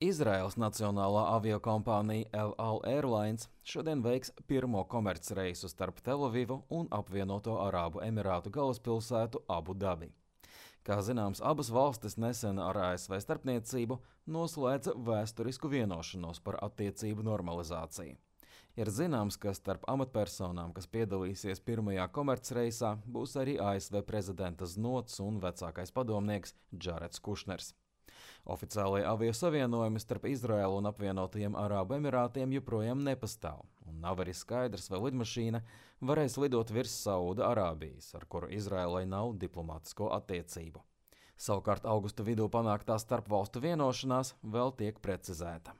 Izraēlas nacionālā aviokompānija El Al Airlines šodien veiks pirmo komercreisu starp Telavivu un apvienoto Arābu Emirātu galvaspilsētu Abu Dabi. Kā zināms, abas valstis nesen ar ASV starpniecību noslēdza vēsturisku vienošanos par attiecību normalizāciju. Ir zināms, ka starp amatpersonām, kas piedalīsies pirmajā komercreisā, būs arī ASV prezidenta znots un vecākais padomnieks Džareds Kušners. Oficiālajie aviosavienojumi starp Izraēlu un apvienotajiem Arābu Emirātiem joprojām nepastāv, un nav arī skaidrs, vai lidmašīna varēs lidot virs Sauda Arābijas, ar kuru Izraēlai nav diplomātisko attiecību. Savukārt augusta vidū panāktā starpvalstu vienošanās vēl tiek precizēta.